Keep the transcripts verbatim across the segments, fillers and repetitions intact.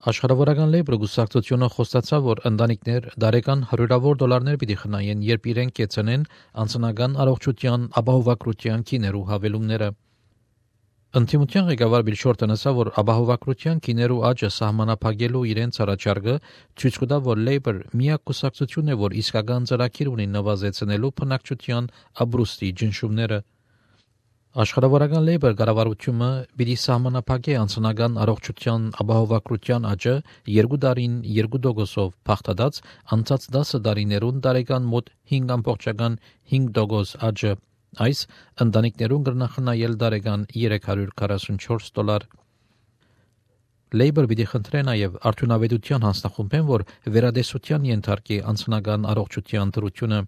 Աշխարհավորական լեյբրը գուսակցությունը խոստացավ, որ ընտանիքներ դարեկան հարյուրավոր դոլարներ պիտի խնայեն, երբ իրենք կեցնեն անձնական առողջության ապահովագրության քիներու հավելումները։ Ընդդիմության ղեկավար Բիլ Շորտոնը ասավ, որ ապահովագրության քիներու աճը սահմանափակելու իրենց առաջարկը ցույց կտա, որ Labour միակ կուսակցությունն է, որ իսկական ծրագիր ունի նվազեցնելու բնակչության ապրուստի ջնշումները։ Աշխարհավորական Labour կառավարությունը պիտի սահմանափակի անձնական առողջության ապահովագրության աճը երկու տարին երկու տոկոսով փախտած անցած դասը տարիներուն տարեկան մոտ հինգ ամբողջական հինգ տոկոս աճը, այս ընտանիքներուն կրնախնայել տարեկան երեք հարյուր քառասունչորս դոլար։ Labour պիտի խնդրե նաև արդյունավետության հանձնախումբեն, որ վերադեսության ենթարկի անձնական առողջության դրությունը։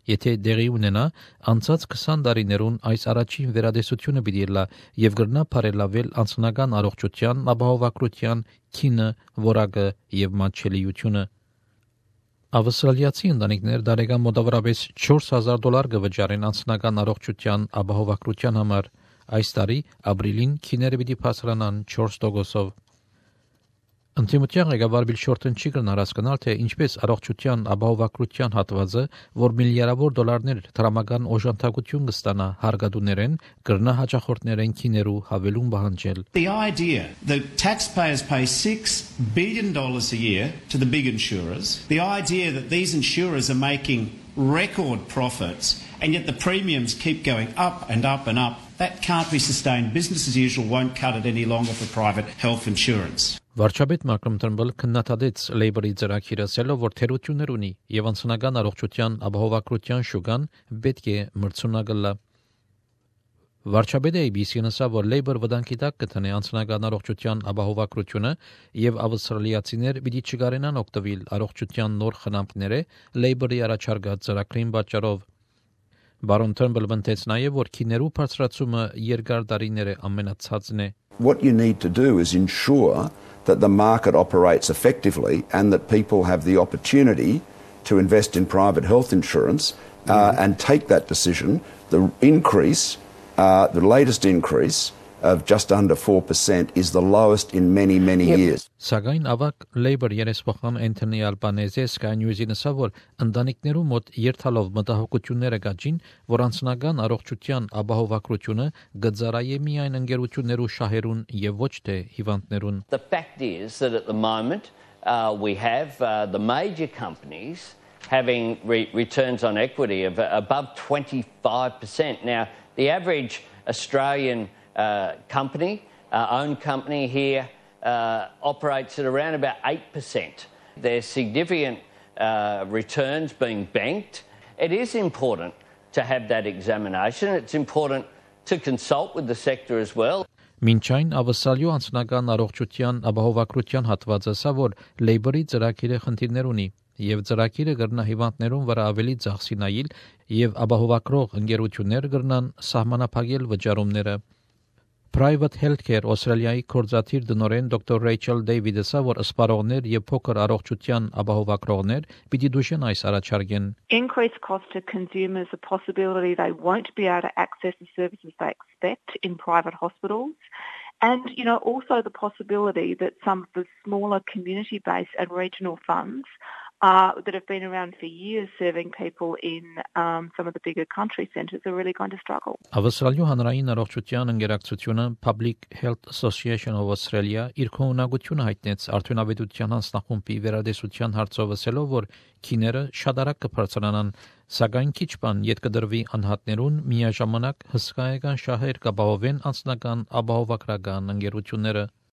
Եթե դեղի ունենա, անցած քսան տարիներուն այս առաջին վերադեսությունը պիտի լա եւ գրնա բարելավել անձնական առողջության ապահովագրության քինը, որակը եւ մատչելիությունը։ Ավստրալիացի ընտանիքներ տարեկան մոտավորապես չորս հազար դոլար կվճարեն անձնական առողջության ապահովագրության համար։ Այս տարի ապրիլին քիները պիտի բարձրանան չորս տոկոսով։ Ընդդիմության ղեկավար Բիլ Շորտոն չի կրնար հասկանալ, թե ինչպես առողջության ապահովագրության հատվածը, որ միլիարդավոր դոլարներ դրամական օժանդակություն կստանա հարգադուներեն, կրնա հաճախորդներեն քիներու հավելում պահանջել։ The idea that taxpayers pay six billion dollars a year to the big insurers, the idea that these insurers are making record profits and yet the premiums keep going up and up and up, that can't be sustained. Business as usual won't cut it any longer for private health insurance. Վարչապետ Մալկոմ Թըրնբըլը քննադատեց Labour-ի ծրագիրը, ասելով, որ թերություններ ունի եւ անձնական առողջության ապահովագրության շուկան պետք է մրցունակ լա։ Վարչապետը A B C-ին ասավ, որ Labour վտանգի տակ կտնի անձնական առողջության ապահովագրությունը եւ ավստրալիացիներ պիտի չկարենան օգտվել առողջության նոր խնամքները Labour-ի առաջարկած ծրագրին պատճառով։ Բարոն Թըրնբըլը բնտեց նաեւ, որ քիներու բարձրացումը երկար տարիներ է ամենացածն է։ What you need to do is ensure that the market operates effectively and that people have the opportunity to invest in private health insurance uh, mm-hmm. and take that decision. The increase, uh, the latest increase of just under four percent is the lowest in many, many yep. years. Սակայն ավակ Labour երեսփոխան Անթոնի Ալբանեզը Sky News-ին ասավ, որ ընտանիքներու մոտ երթալով մտահոգությունները գաջին, որ անձնական առողջության ապահովագրությունը գծարայե միայն ընկերություններու շահերուն եւ ոչ թե հիվանդներուն։ The fact is that at the moment uh, we have uh, the major companies having re- returns on equity of above twenty-five percent. Now, the average Australian uh, company, uh, owned company here, uh, operates at around about eight percent. There's significant uh, returns being banked. It is important to have that examination. It's important to consult with the sector as well. Մինչ այն ավսալյու անձնական առողջության ապահովագրության հատվածը սա, որ Labour-ի ծրագիրը խնդիրներ ունի եւ ծրագիրը կրնա հիվանդներուն վրա ավելի ծախսի նայել եւ ապահովագրող ընկերություններ կրնան սահմանափակել վճարումները։ Private Healthcare Australia-ի կորզաթիր դնորեն Doctor Rachel David-ը ասա, որ սպառողներ եւ փոքր առողջության ապահովագրողներ պիտի դուժեն այս առաջարկեն։ Increased cost to consumers, a possibility they won't be able to access the services they expect in private hospitals. And, you know, also the possibility that some of the smaller community-based and regional funds uh, that have been around for years serving people in um, some of the bigger country centres are really going to struggle. Ավստրալիու հանրային առողջության ընկերակցությունը Public Health Association of Australia իր քողունակությունը հայտնեց արդյունավետության հանձնախումբի վերադեսության հարցով, ասելով, որ քիները շատ արագ կբարձրանան, սակայն քիչ բան յետ կդրվի անհատներուն միաժամանակ հսկայական շահեր կապահովեն անձնական ապահովագրական ընկերությունները։